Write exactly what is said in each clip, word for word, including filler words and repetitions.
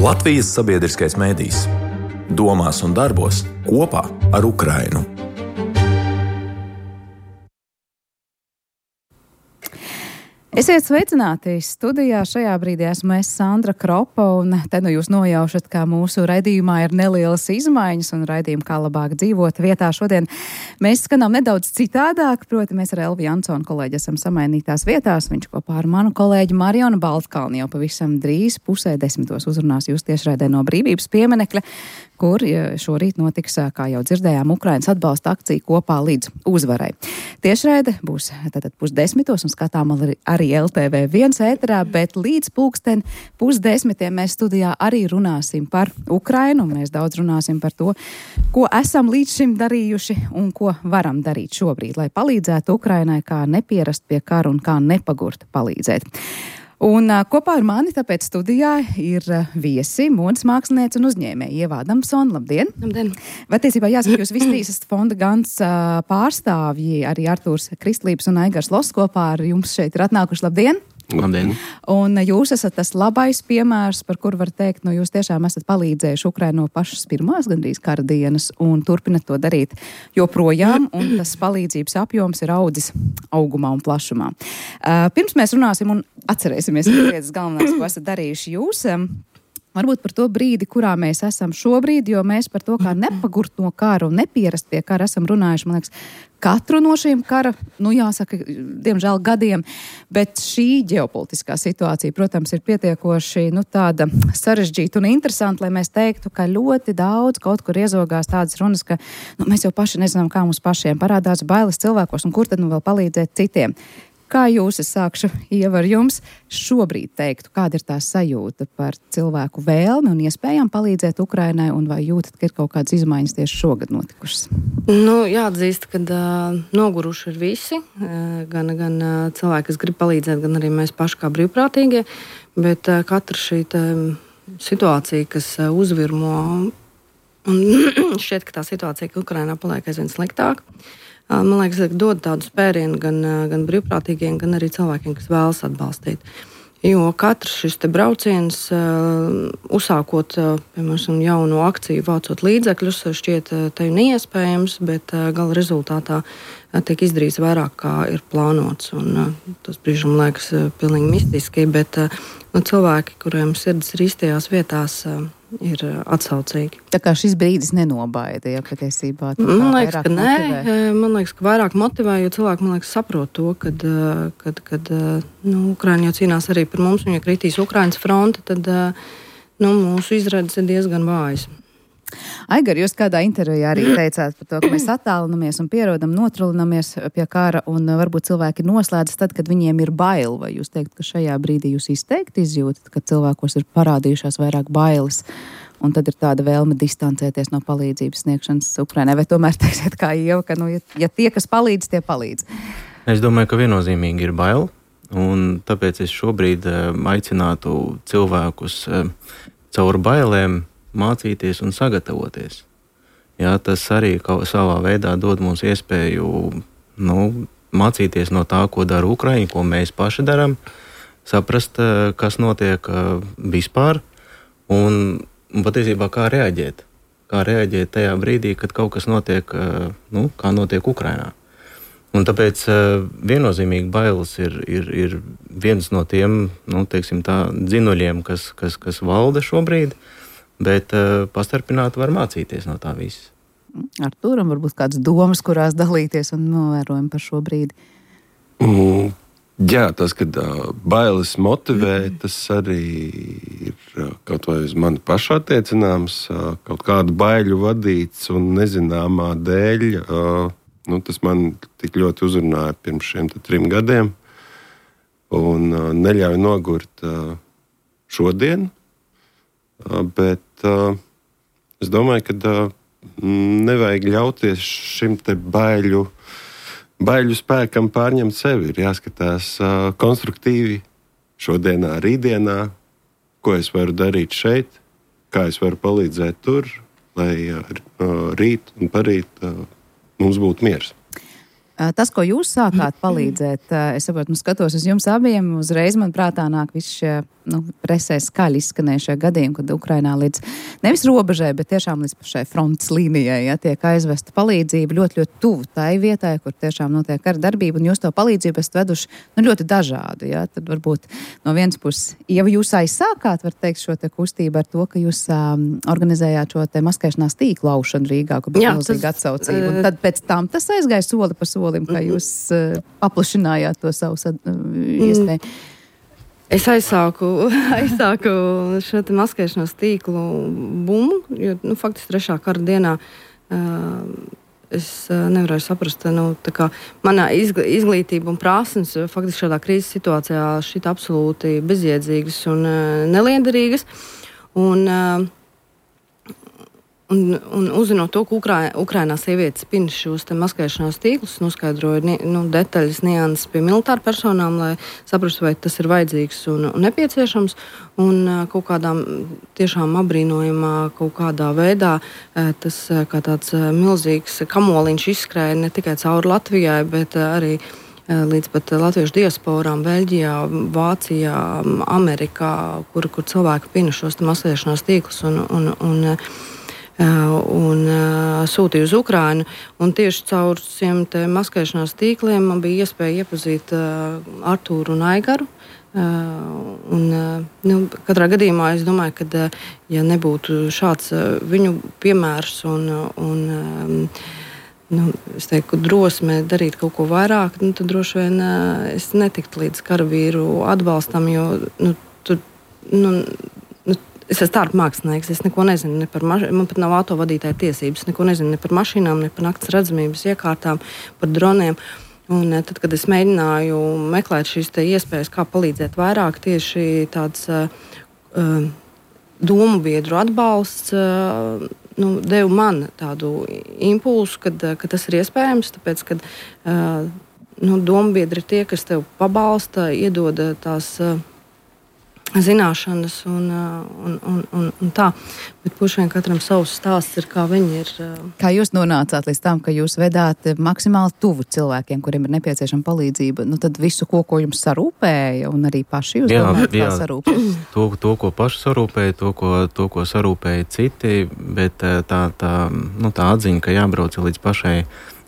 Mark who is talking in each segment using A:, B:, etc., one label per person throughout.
A: Latvijas sabiedriskais mēdījis. Domās un darbos kopā ar Ukrainu.
B: Esiet sveicināti studijā. Šajā brīdī esmu es, Sandra Kropa, un te nu jūs nojaušat, ka mūsu raidījumā ir nelielas izmaiņas un raidījumi kā labāk dzīvot vietā. Šodien mēs skanām nedaudz citādāk, proti mēs ar Elvi Jansonu kolēģi esam samainītās vietās. Viņš kopā ar manu kolēģi Marionu Baltkalni jau pavisam drīz pusē desmitos uzrunās jūs tiešraidē no Brīvības pieminekļa, kur šorīt notiks, kā jau dzirdējām, Ukrainas atbalsta akcija kopā līdz uzvarai. Tiešraide būs tātad pusdesmitos un skatām arī, arī L T V viens ēterā, bet līdz pulksten pusdesmitiem mēs studijā arī runāsim par Ukrainu. Mēs daudz runāsim par to, ko esam līdz šim darījuši un ko varam darīt šobrīd, lai palīdzētu Ukrainai, kā nepierast pie kara un kā nepagurt palīdzēt. Un uh, kopā ar mani tāpēc studijā ir uh, viesi, modes māksliniece un uzņēmēja Ieva Adamsone. Labdien!
C: Labdien!
B: Patiesībā jāsaka, jūs Vistīsas fonda Gans uh, pārstāvji, arī Artūrs Kristlības un Aigars Loss kopā ar jums šeit ir atnākuši. Labdien!
D: Labdien!
B: Un jūs esat tas labais piemērs, par kur var teikt, nu jūs tiešām esat palīdzējuši Ukrainu no pašas pirmās gandrīz kara dienas un turpinat to darīt joprojām, un tas palīdzības apjoms ir audzis augumā un plašumā. Uh, pirms mēs runāsim un atcerēsimies, ka lietas galvenās, ko esat darījuši jūs, um, varbūt par to brīdi, kurā mēs esam šobrīd, jo mēs par to, kā nepagurt no kara un nepierast pie kara esam runājuši, man liekas, katru no šīm kara, nu jāsaka, diemžēl gadiem, bet šī ģeopolitiskā situācija, protams, ir pietiekoši, nu tāda sarežģīta un interesanta, lai mēs teiktu, ka ļoti daudz kaut kur iezogās tādas runas, ka nu, mēs jau paši nezinām, kā mums pašiem parādās bailes cilvēkos un kur tad nu vēl palīdzēt citiem. Kā jūs, es sākšu, Ieva, ar jums šobrīd teiktu, kāda ir tā sajūta par cilvēku vēlmi un iespējām palīdzēt Ukrainai, un vai jūtat, ka ir kaut kādas izmaiņas tieši šogad notikušas?
C: Nu, jāatzīst, ka uh, noguruši ir visi, uh, gan, gan uh, cilvēki, kas grib palīdzēt, gan arī mēs paši kā brīvprātīgie, bet uh, katra šī tā, situācija, kas uh, uzvirmo, un šķiet, ka tā situācija, ka Ukrainā paliek aizvien sliktāk, man liekas, dod tādu spērienu gan, gan brīvprātīgiem, gan arī cilvēkiem, kas vēlas atbalstīt. Jo katrs šis te brauciens, uzsākot, piemēram, jaunu akciju, vācot līdzekļus, šķiet te neiespējams, bet gala rezultātā tiek izdarīts vairāk, kā ir plānots. Un tas brīžam liekas pilnīgi mistiski, bet nu, cilvēki, kuriem sirds ir īstajās vietās, ir atsaucīgi.
B: Tā kā šis brīdis nenobaida, ja patiesībā?
C: Man liekas, ka nē. Motivē. Man liekas, ka vairāk motivē, jo cilvēki, man liekas, saprot to, kad, kad, kad nu, Ukraina jau cīnās arī par mums, un ja kritīs Ukrainas fronte, tad nu, mūsu izredzes ir diezgan vājas.
B: Aigar, jūs kādā intervijā arī teicāt par to, ka mēs attālinamies un pierodam, notrulinamies pie kara, un varbūt cilvēki noslēdzas tad, kad viņiem ir bail. Vai jūs teikt, ka šajā brīdī jūs izteikti izjūtat, ka cilvēkos ir parādījušās vairāk bailes, un tad ir tāda vēlme distancēties no palīdzības sniegšanas Ukrainai? Vai tomēr teiksiet kā Ieva, ka nu, ja, ja tie, kas palīdz, tie palīdz?
D: Es domāju, ka viennozīmīgi ir bail, un tāpēc es šobrīd aicinātu cilvēkus caur bailēm mācīties un sagatavoties. Jā, tas arī kaut savā veidā dod mums iespēju nu, mācīties no tā, ko dara Ukraiņa, ko mēs paši darām, saprast, kas notiek vispār un, un patiesībā kā reaģēt. Kā reaģēt tajā brīdī, kad kaut kas notiek, nu, kā notiek Ukrainā. Un tāpēc viennozīmīgi bailes ir, ir, ir viens no tiem, nu, teiksim tā, dzinuļiem, kas, kas, kas valda šobrīd, bet uh, pastarpināt var mācīties no tā visas.
B: Artūram varbūt kādas domas, kurās dalīties un novērojumi par šo brīdi?
E: Mm, jā, tas, kad uh, bailes motivē, mm. tas arī ir uh, kaut vai uz mani pašu attiecināms, uh, kaut kādu baiļu vadīts un nezināmā dēļ. Uh, nu, tas man tik ļoti uzrunāja pirms šiem trim gadiem un uh, neļauj nogurt uh, šodien. Bet uh, es domāju, ka uh, nevajag ļauties šim te baiļu, baiļu spēkam pārņemt sevi. Ir jāskatās uh, konstruktīvi šodienā, rītdienā, ko es varu darīt šeit, kā es varu palīdzēt tur, lai uh, rīt un parīt uh, mums būtu miers.
B: Tas, ko jūs sākāt palīdzēt, es saprotu, nu skatos uz jums abiem, uzreiz man prātā nāk visi šie nu, presē skaļi izskanējušie gadījumi, kad Ukrainā līdz nevis robežai, bet tiešām līdz pašai frontes līnijai, ja, tiek aizvesta palīdzība ļoti, ļoti tuvu tai vietai, kur tiešām notiek kara darbība, un jūs to palīdzību esat veduši nu, ļoti dažādu. Ja. Tad varbūt no vienas puses, ja jūs aizsākāt, var teikt, šo te kustību ar to, ka jūs um, organizējāt šo te maskēšanās tīklu laušanu Rīgā, kur bija milzīga atsaucība. Un tad pēc tam tas aizgāja soli pa solim, kā jūs uh, paplašinājāt to savu uh, iespēju.
C: Es aizsāku, aizsāku šo te maskēšanās tīklu bumu, jo, nu, faktiski trešā kara dienā uh, es uh, nevarēju saprast, nu, tā kā manā izglītība un prasmes faktiski šādā krīzes situācijā šķita absolūti bezjēdzīgas un uh, neliederīgas. Un, uh, Un, un uzzinot to, ka Ukrā, Ukrainā sievietes pina šos te maskēšanās tīklus, noskaidroja nu, detaļas, nianses pie militāru personām, lai saprastu, vai tas ir vajadzīgs un, un nepieciešams. Un kaut kādā tiešām apbrīnojamā kaut kādā veidā tas kā tāds milzīgs kamoliņš izskrēja ne tikai cauri Latvijai, bet arī līdz pat latviešu diasporām, Beļģijā, Vācijā, Amerikā, kur, kur cilvēki pina šos te maskēšanās tīklus un, un, un un uh, sūtīja uz Ukrainu. Un tieši caur šiem te maskēšanās tīkliem man bija iespēja iepazīt uh, Artūru un Aigaru. Uh, un, uh, nu, katrā gadījumā es domāju, ka uh, ja nebūtu šāds uh, viņu piemērs un, un um, nu, es teiktu, drosme darīt kaut ko vairāk, nu, tad droši vien uh, es netiktu līdz karavīru atbalstam, jo nu, tur, nu, es esmu tārp mākslinieks, es neko nezinu ne par mašīnām, man pat nav autovadītāja tiesības, neko nezinu ne par mašīnām, ne par nakts redzamības iekārtām, par droniem. Un tad, kad es mēģināju meklēt šīs te iespējas, kā palīdzēt vairāk, tieši tāds uh, domu biedru atbalsts uh, nu, deva man tādu impulsu, kad, ka tas ir iespējams, tāpēc, kad uh, nu, domu biedri ir tie, kas tev pabalsta, iedod tās uh, zināšanas un, un, un, un, un tā. Bet pušiem katram savs stāsts ir, kā viņi ir.
B: Kā jūs nonācāt līdz tam, ka jūs vedāt maksimāli tuvu cilvēkiem, kuriem ir nepieciešama palīdzība? Nu tad visu, ko, ko jums sarūpēja, un arī paši jūs jā, domājat, jā, kā sarūpēja?
D: To, to, ko paši sarūpēja, to, ko, to, ko sarūpēja citi, bet tā, tā, nu, tā atziņa, ka jābrauc līdz pašai,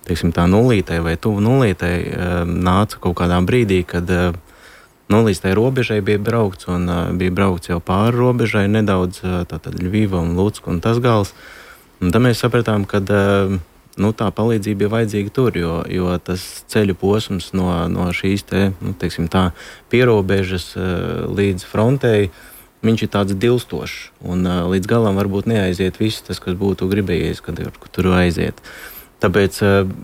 D: teiksim, tā nulītei vai tuvu nulītei, nāca kaut kādā brīdī, kad nu, līdz tai robežai bija braukts, un uh, bija braukts jau pāri robežai nedaudz, uh, tātad Ļviva un Lucka un Tasgals. Un tad mēs sapratām, ka uh, nu, tā palīdzība ir vajadzīga tur, jo, jo tas ceļu posms no, no šīs te, nu, teiksim tā, pierobežas uh, līdz frontei, viņš ir tāds dilstošs, un uh, līdz galam varbūt neaiziet viss tas, kas būtu gribējies, kad kur tur aiziet. Tāpēc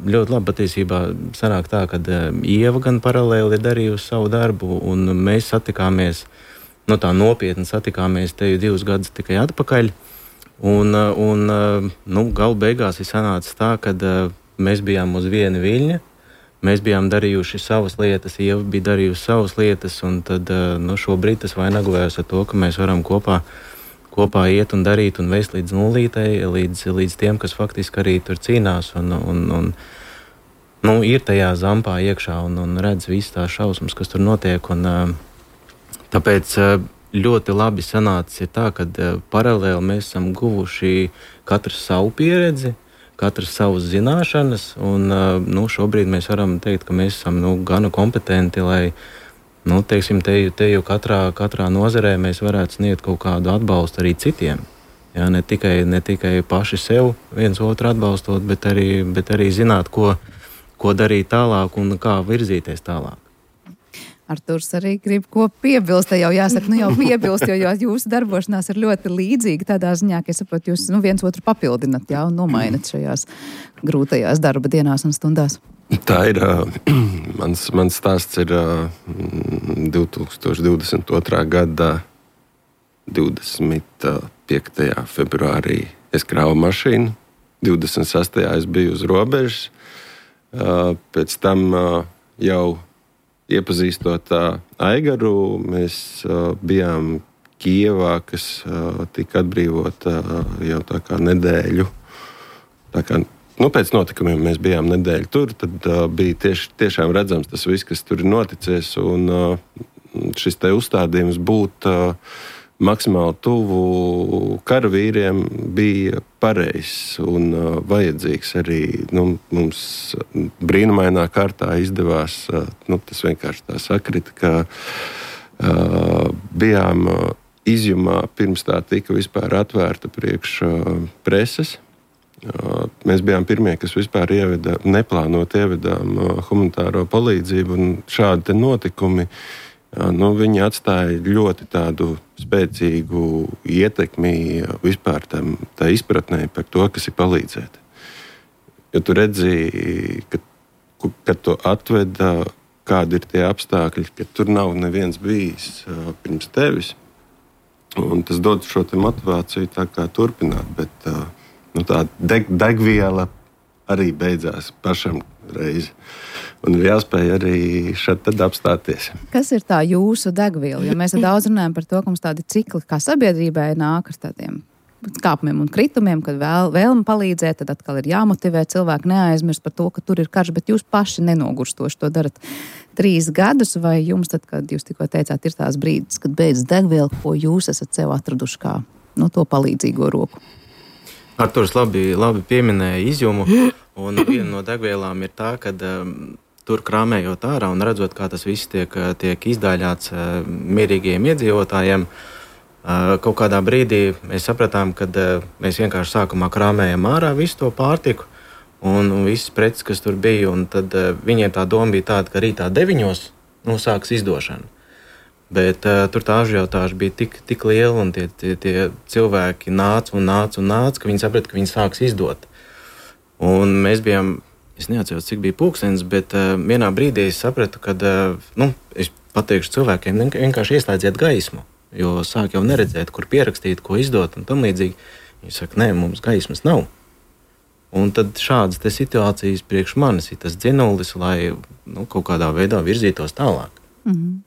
D: ļoti labi patiesībā sanāk tā, ka Ieva gan paralēli ir darījusi savu darbu, un mēs satikāmies, nu tā nopietni satikāmies te jau divus gadus tikai atpakaļ, un, un nu, galu beigās ir sanācis tā, ka mēs bijām uz viena viļņa, mēs bijām darījuši savas lietas, Ieva bija darījusi savas lietas, un tad nu, šobrīd tas vainagojas ar to, ka mēs varam kopā kopā iet un darīt un vēst līdz nulītei, līdz, līdz tiem, kas faktiski arī tur cīnās un, un, un nu, ir tajā zampā iekšā un, un redz visas tās šausmas, kas tur notiek. Un, tāpēc ļoti labi sanācis ir tā, ka paralēli mēs esam guvuši katrs savu pieredzi, katrs savas zināšanas, un nu, šobrīd mēs varam teikt, ka mēs esam nu, gana kompetenti, lai Nu, teiksim, te, te jau katrā, katrā nozarē mēs varētu sniegt kaut kādu atbalstu arī citiem. Jā, ne tikai, ne tikai paši sev viens otru atbalstot, bet arī, bet arī zināt, ko, ko darīt tālāk un kā virzīties tālāk.
B: Arturs arī grib ko piebilst, jau jāsaka, nu jau piebilst, jo, jo jūsu darbošanās ir ļoti līdzīga tādā ziņā, ka es saprotu, jūs nu, viens otru papildinat, jā, un nomainat šajās grūtajās darba dienās un stundās.
E: Tā ir, mans, mans stāsts ir divtūkstoš divdesmit otrā gada divdesmit piektajā februārī es krāvu mašīnu, divdesmit sastajā es biju uz robežas, pēc tam jau iepazīstot Aigaru, mēs bijām Kijevā, kas tika atbrīvota jau tā kā nedēļu, tā kā Nu, pēc notikumiem mēs bijām nedēļu tur, tad uh, bija tieši, tiešām redzams tas viss, kas tur ir noticies. Un, uh, šis te uzstādījums būt uh, maksimāli tuvu karavīriem bija pareizs un uh, vajadzīgs arī. Nu, mums brīnumainā kārtā izdevās, uh, nu, tas vienkārši tā sakrita, ka uh, bijām uh, izjumā pirms tā tika vispār atvērta priekš uh, preses. Uh, mēs bijām pirmie, kas vispār ieveda, neplānot ievedām uh, humanitāro palīdzību, un šādi te notikumi Nu, viņi atstāja ļoti tādu spēcīgu ietekmi vispār tam, tā izpratnē par to, kas ir palīdzēt. Jo tu redzi, ka, kad tu atveda, kādi ir tie apstākļi, ka tur nav neviens bijis uh, pirms tevis. Un tas dod šo te motivāciju tā kā turpināt, bet uh, nu, tā deg, degviela arī beidzās pašam reizi. Un ir jāspēj arī šeit tad apstāties.
B: Kas ir tā jūsu degviela? Jo mēs daudz runājam par to, ka mums tādi cikli kā sabiedrībai nāk ar tādiem kāpumiem un kritumiem, kad vēl, vēlme palīdzēt, tad atkal ir jāmotivē cilvēki neaizmirst par to, ka tur ir karš, bet jūs paši nenogurstoši to darat trīs gadus, vai jums tad, kad jūs tikko teicāt, ir tās brīdis, kad beidz degviela, ko jūs esat sev atraduši kā no to palīdzīgo roku?
D: Arturs labi, labi pieminēja izjumu, un viena no degvielām ir tā, ka um, tur krāmējot ārā un redzot, kā tas viss tiek, tiek izdāļāts uh, mierīgiem iedzīvotājiem, uh, kaut kādā brīdī mēs sapratām, ka uh, mēs vienkārši sākumā krāmējam ārā visu to pārtiku un, un visas preces, kas tur bija, un tad uh, viņiem tā doma bija tāda, ka rītā deviņos nu, sāks izdošana. Bet uh, tur tā ažiotāža bija tik, tik liela, un tie, tie, tie cilvēki nāca un nāca un nāca, ka viņi saprata, ka viņi sāks izdot. Un mēs bijām, es neatceros, cik bija pulkstenis, bet uh, vienā brīdī es sapratu, ka, uh, nu, es pateikšu cilvēkiem, vienkārši ieslēdziet gaismu, jo sāk jau neredzēt, kur pierakstīt, ko izdot un tam līdzīgi. Viņi saka, nē, mums gaismas nav. Un tad šādas te situācijas priekš manis ir tas dzinulis, lai nu, kaut kādā veidā virzītos tālāk.
B: Mm-hmm.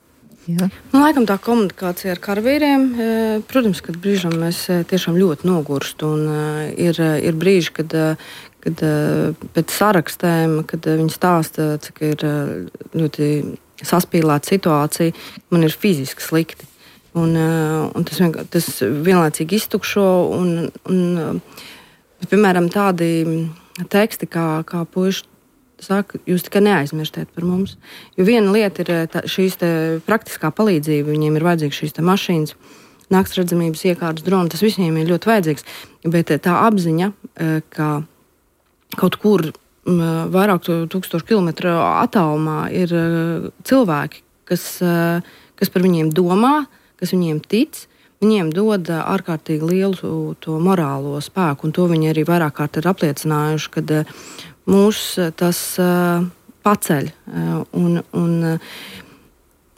B: Jā.
C: Nu, laikam tā komunikācija ar karavīriem, protams, kad brīžam mēs tiešām ļoti nogurst, un ir, ir brīži, kad, kad pēc sarakstēm, kad viņi stāsta, cik ir ļoti saspīlēta situācija, man ir fiziski slikti. Un, un tas, vien, tas vienlaicīgi iztukšo, un, un piemēram, tādi teksti, kā, kā puiši saka, jūs tikai neaizmirstiet par mums. Jo viena lieta ir tā, šīs te praktiskā palīdzība, viņiem ir vajadzīgs šīs te mašīnas, nakts redzamības iekārtas, droni, tas visiem ir ļoti vajadzīgs. Bet tā apziņa, ka kaut kur vairāk tūkstošu kilometru attālumā ir cilvēki, kas, kas par viņiem domā, kas viņiem tic, viņiem dod ārkārtīgi lielu to morālo spēku, un to viņi arī vairāk kārt ir apliecinājuši, kad mūs tas uh, paceļ. Uh, un, un,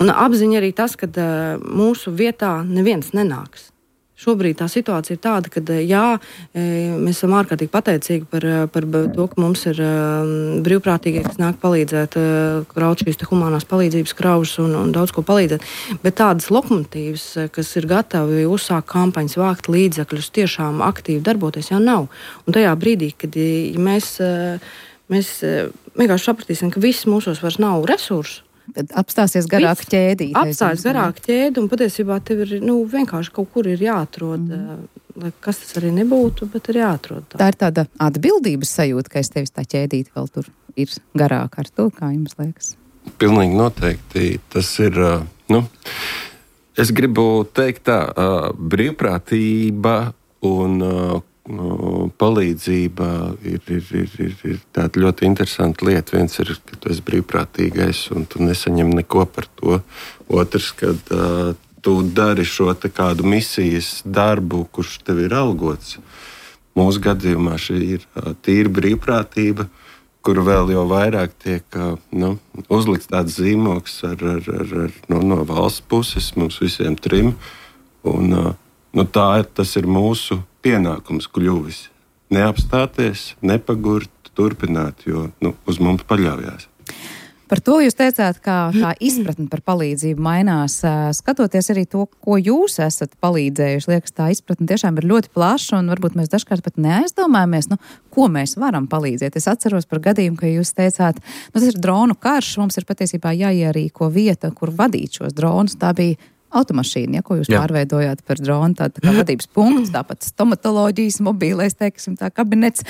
C: un apziņa arī tas, ka uh, mūsu vietā neviens nenāks. Šobrīd tā situācija ir tāda, ka jā, mēs esam ārkārtīgi pateicīgi par, par to, ka mums ir uh, brīvprātīgie, kas nāk palīdzēt, uh, kraut šīs te humanās palīdzības kraužas un, un daudz ko palīdzēt. Bet tādas lokomotīvas, kas ir gatavi uzsākt kampaņas, vākt līdzekļus, tiešām aktīvi darboties, jau nav. Un tajā brīdī, kad ja mēs, uh, mēs uh, vienkārši sapratīsim, ka viss mūsos vairs nav resursu,
B: tad apstāsies garāk ķēdīt.
C: Apstāsies garāk ķēdi, un patiesībā tev ir nu, vienkārši kaut kur ir jāatrod, mm. lai kas tas arī nebūtu, bet ir jāatrod. Tā,
B: tā ir tāda atbildības sajūta, ka es tevis tā ķēdīti vēl tur ir garāk ar to, kā jums liekas?
E: Pilnīgi noteikti. Tas ir, nu, es gribu teikt tā, brīvprātība un palīdzība ir, ir, ir, ir, ir tāda ļoti interesanta lieta. Viens ir, ka tu esi brīvprātīgais un tu nesaņem neko par to. Otrs, kad uh, tu dari šo te kādu misijas darbu, kurš tev ir algots. Mūsu gadījumā šī ir uh, tīra brīvprātība, kur vēl jau vairāk tiek uh, nu, uzlikts tāds zīmogs ar, ar, ar, ar, no, no valsts puses, mums visiem trim. Un, uh, nu, tā ir, tas ir mūsu pienākums kļuvis. Neapstāties, nepagurt, turpināt, jo nu, uz mums paļaujās.
B: Par to jūs teicāt, kā tā izpratne par palīdzību mainās. Skatoties arī to, ko jūs esat palīdzējuši, liekas, tā izpratne tiešām ir ļoti plaša, un varbūt mēs dažkārt pat neaizdomājamies, nu, ko mēs varam palīdzēt. Es atceros par gadījumu, ka jūs teicāt, nu, tas ir dronu karš, mums ir patiesībā jāierīko vieta, kur vadīt šos dronus. Tā bija automašīna, ja, ko jūs Jā. pārveidojāt par dronu, tā, tā kā vadības punkts, tāpat stomatoloģijas, mobīlais, teiksim, tā kabinets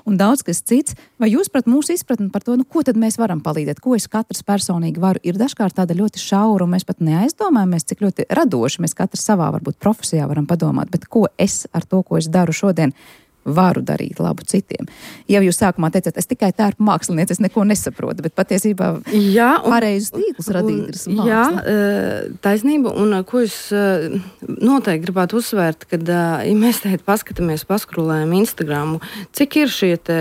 B: un daudz kas cits. Vai jūs prat mūsu izpratni par to, nu, ko tad mēs varam palīdzēt, ko es katrs personīgi varu, ir dažkārt tāda ļoti šaura, un mēs pat neaizdomājamies, cik ļoti radoši mēs katrs savā, varbūt profesijā varam padomāt, bet ko es ar to, ko es daru šodien, varu darīt labu citiem. Jau jūs sākumā teicāt, es tikai tērpu mākslinieci, es neko nesaprotu, bet patiesībā jā, un, pareizus tīklus radīt ir māksla.
C: Jā, taisnība, un ko es noteikti gribētu uzsvērt, kad, ja mēs teikt paskatāmies, paskrulējam Instagramu, cik ir šie te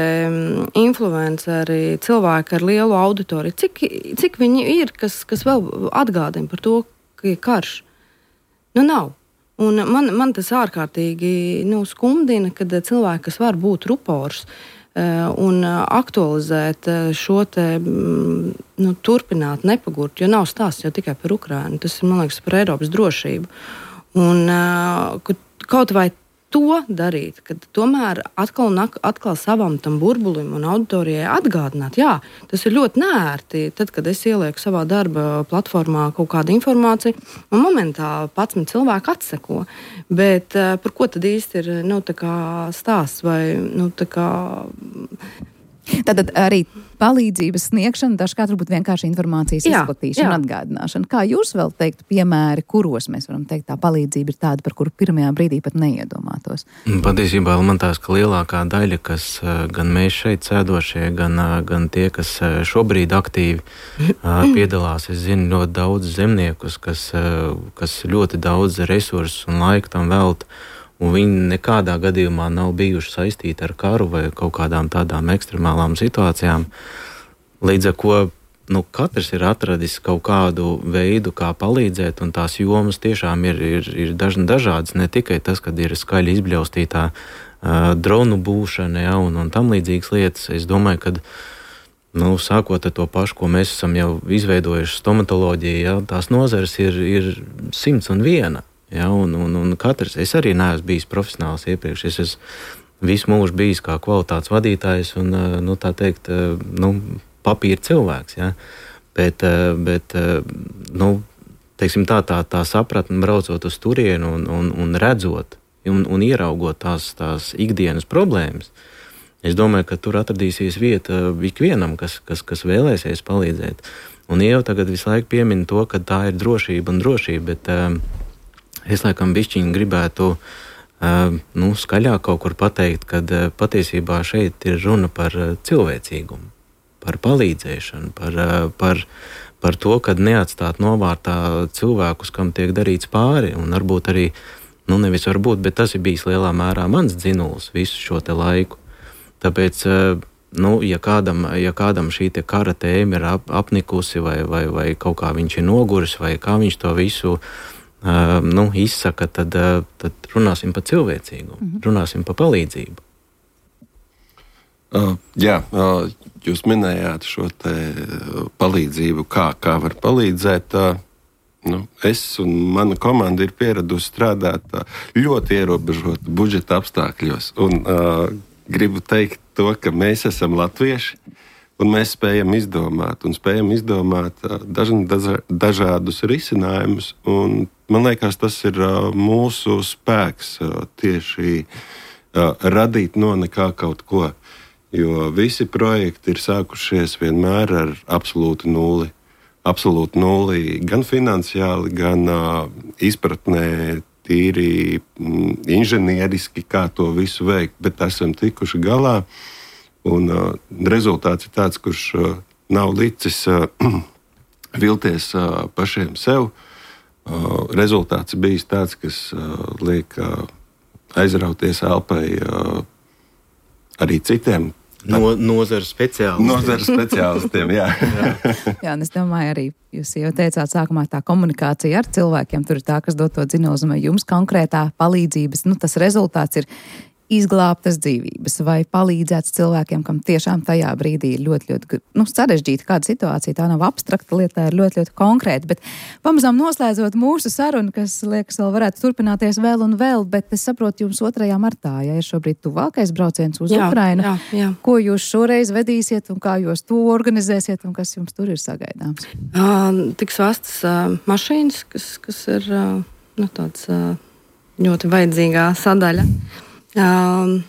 C: influenceri, cilvēki ar lielu auditoriju, cik, cik viņi ir, kas, kas vēl atgādina par to, ka ir karš. Nu, nav. Un man, man tas ārkārtīgi nu, skumdina, kad cilvēki, kas var būt rupors un aktualizēt šo te, nu, turpināt, nepagurt, jo nav stāsts jau tikai par Ukrainu, tas ir, man liekas, par Eiropas drošību. Un kaut vai to darīt, kad tomēr atkal un atkal savam tam burbulim un auditorijai atgādināt, jā, tas ir ļoti neērti, tad, kad es ielieku savā darba platformā kaut kādu informāciju, un momentā patsmit cilvēku atseko, bet par ko tad īsti ir, nu, tā kā stāsts vai, nu, tā kā...
B: Tātad arī palīdzības sniegšana, dažkārt varbūt vienkārši informācijas jā, izplatīšana, jā. atgādināšana. Kā jūs vēl teiktu piemēri, kuros mēs varam teikt, tā palīdzība ir tāda, par kuru pirmajā brīdī pat neiedomātos?
D: Patiesībā man tās, ka lielākā daļa, kas gan mēs šeit sēdošie, gan, gan tie, kas šobrīd aktīvi piedalās, es zinu ļoti daudz zemniekus, kas, kas ļoti daudz resursu un laiku tam velta. Un viņi nekādā gadījumā nav bijuši saistīti ar karu vai kaut kādām tādām ekstremālām situācijām. Līdz ar ko nu, katrs ir atradis kaut kādu veidu, kā palīdzēt, un tās jomas tiešām ir, ir, ir dažādas. Ne tikai tas, kad ir skaļi izbļaustītā uh, dronu būšana, ja, un, un tam līdzīgas lietas. Es domāju, ka nu, sākot ar to pašu, ko mēs esam jau izveidojuši stomatoloģiju, ja, tās nozares ir, ir simts un viena. Ja, un, un, un katrs, es arī neesmu bijis profesionāls iepriekš, es esmu visu mūžu bijis kā kvalitātes vadītājs un, nu, tā teikt, nu, papīra cilvēks, ja, bet, bet, nu, teiksim tā, tā, tā sapratne braucot uz turienu un, un, un redzot un, un ieraugot tās, tās ikdienas problēmas, es domāju, ka tur atradīsies vieta ikvienam, kas, kas, kas vēlēsies palīdzēt. Un jau tagad visu laiku piemin to, ka tā ir drošība un drošība, bet es laikam bišķiņi gribētu uh, nu, skaļāk kaut kur pateikt, kad uh, patiesībā šeit ir runa par uh, cilvēcīgumu, par palīdzēšanu, par, uh, par, par to, kad neatstāt novārtā cilvēkus, kam tiek darīts pāri, un varbūt arī, nu nevis varbūt, bet tas ir bijis lielā mērā mans dzinuls visu šo te laiku. Tāpēc, uh, nu, ja kādam, ja kādam šī te kara tēma ir ap, apnikusi vai, vai, vai kaut kā viņš ir noguris, vai kā viņš to visu Uh, nu, izsaka, tad, uh, tad runāsim par cilvēcīgumu, mm-hmm. runāsim par palīdzību.
E: Uh, jā, uh, jūs minējāt šo te palīdzību, kā, kā var palīdzēt. Uh, nu, es un mana komanda ir pieradusi strādāt uh, ļoti ierobežot budžeta apstākļos. Un uh, gribu teikt to, ka mēs esam latvieši. Un mēs spējam izdomāt, un spējam izdomāt daž, daž, dažādus risinājumus. Un, man liekas, tas ir uh, mūsu spēks uh, tieši uh, radīt no nekā kaut ko. Jo visi projekti ir sākušies vienmēr ar absolūtu nulli. Absolūti nulli gan finansiāli, gan uh, izpratnē, tīri mm, inženieriski, kā to visu veikt. Bet esam tikuši galā. Un uh, rezultāts ir tāds, kurš uh, nav licis uh, vilties uh, pašiem sev. Uh, rezultāts ir bijis tāds, kas uh, liek uh, aizrauties elpai uh, arī citiem.
D: No, nozares speciālistiem.
E: Nozares speciālistiem, jā.
B: jā. jā, un es domāju arī, jūs jau teicāt sākumā tā komunikācija ar cilvēkiem, tur ir tā, kas dod to dzinulzumu, jums konkrētā palīdzības, nu tas rezultāts ir izglābtas dzīvības vai palīdzēts cilvēkiem, kam tiešām tajā brīdī ir ļoti, ļoti nu, sarežģīta kāda situācija. Tā nav abstrakta lieta, tā ir ļoti, ļoti konkrēta. Bet pamazām noslēdzot mūsu sarunu, kas, liekas, vēl varētu turpināties vēl un vēl, bet es saprotu, jums otrajā martā, ja ir šobrīd tuvākais brauciens uz jā, Ukrainu.
C: Jā, jā.
B: Ko jūs šoreiz vedīsiet un kā jūs to organizēsiet un kas jums tur ir sagaidāms?
C: Uh, tiks vestas uh, mašīnas, kas, kas ir uh, nu, tāds uh, ļoti vajadzīgā sadaļa. Um,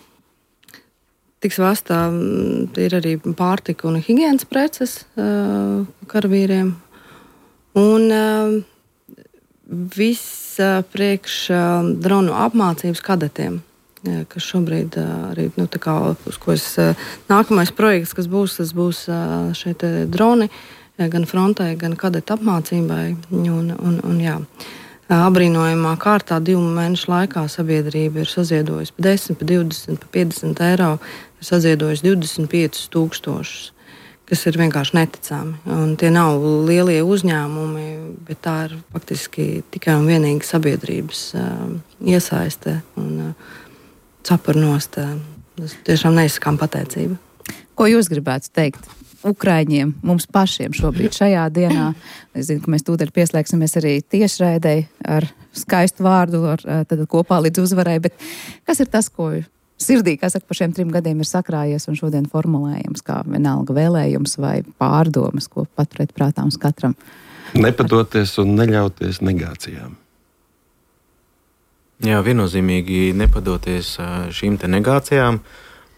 C: tiks vestā um, ir arī pārtika un higienas preces uh, karavīriem. Un uh, viss uh, priekš uh, dronu apmācības kadetiem, uh, kas šobrīd uh, arī, nu, tā kā, uz ko es, uh, nākamais projekts, kas būs, tas būs uh, šeit droni, uh, gan frontē, gan kadetu apmācībai. Un, un, un jā. Abrīnojamā kārtā divu mēnešu laikā sabiedrība ir saziedojusi pa desmit, pa divdesmit, pa piecdesmit eiro, ir saziedojusi divdesmit piecus tūkstošus, kas ir vienkārši neticami. Un tie nav lielie uzņēmumi, bet tā ir faktiski tikai un vienīgi sabiedrības uh, iesaiste un uh, cepurnost. Uh, tas tiešām neizsakām pateicība.
B: Ko jūs gribētu teikt Ukraiņiem, mums pašiem šobrīd šajā dienā? Es zinu, ka mēs tūdaļ pieslēgsimies arī tiešraidei ar skaistu vārdu, ar, tad kopā līdz uzvarai, bet kas ir tas, ko sirdī, kas saka, par šiem trim gadiem ir sakrājies un šodien formulējams, kā vienalga vēlējums vai pārdomas, ko paturēt prātā mums katram?
E: Nepadoties un neļauties negācijām.
D: Jā, viennozīmīgi nepadoties šīm te negācijām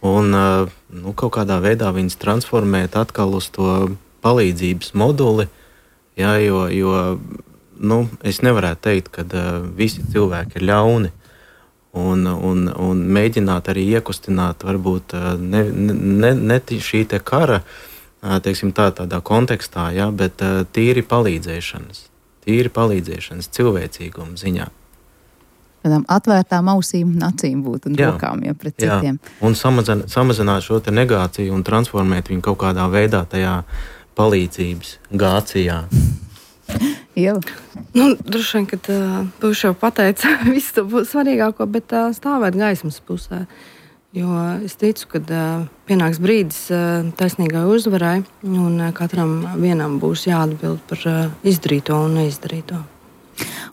D: un nu, kaut kādā veidā viņas transformēt atkal uz to palīdzības moduli, jā, jo, jo nu, es nevarētu teikt, ka uh, visi cilvēki ir ļauni un, un, un mēģināt arī iekustināt varbūt uh, ne, ne, ne šī te kara, uh, teiksim tā, tādā kontekstā, jā, bet uh, tīri palīdzēšanas, tīri palīdzēšanas cilvēcīguma ziņā.
B: Tādām atvērtām ausīm un acīm būt un jā, rokām jau pret
D: jā.
B: citiem.
D: Un samazin, samazināt šo te negāciju un transformēt viņu kaut kādā veidā tajā palīdzības gācijā.
B: Jau.
C: Nu, droši vien, ka Pūš jau pateica visu to svarīgāko, bet uh, stāvēt gaismas pusē. Jo es ticu, ka uh, pienāks brīdis uh, taisnīgai uzvarai un uh, katram vienam būs jāatbild par uh, izdarīto un neizdarīto.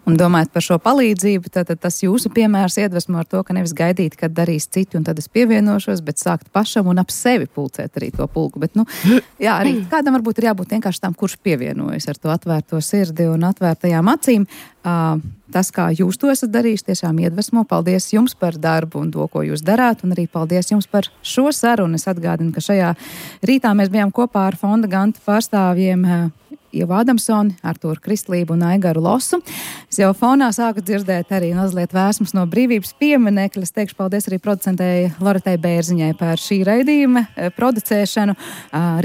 B: Un domājot par šo palīdzību, tad, tad tas jūsu piemērs iedvesmo ar to, ka nevis gaidīt, kad darīs citi un tad es pievienošos, bet sākt pašam un ap sevi pulcēt arī to pulku. Bet, nu, jā, arī kādam varbūt ir jābūt vienkārši tam, kurš pievienojas ar to atvērto sirdi un atvērtajām acīm. Uh, tas, kā jūs to esat darījuši, tiešām iedvesmo. Paldies jums par darbu un to, ko jūs darāt, un arī paldies jums par šo sarunu. Es atgādinu, ka šajā rītā mēs bijām kopā ar Fonda Ganta pārstāvjiem uh, Ievu Adamsoni, Artūru Kristlību un Aigaru Losu. Es jau fonā sāku dzirdēt arī mazliet vēsmas no brīvības pieminekļa. Es teikšu paldies arī producentei Loretai Bērziņai par šī raidījuma producēšanu.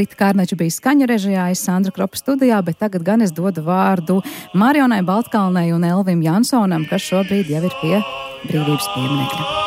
B: Rita Kārneča bija skaņu režijā, es Sandra Kropa studijā, bet tagad gan es dodu vārdu Marionai Baltkalnei un Elvim Jansonam, kas šobrīd jau ir pie brīvības pieminekļa.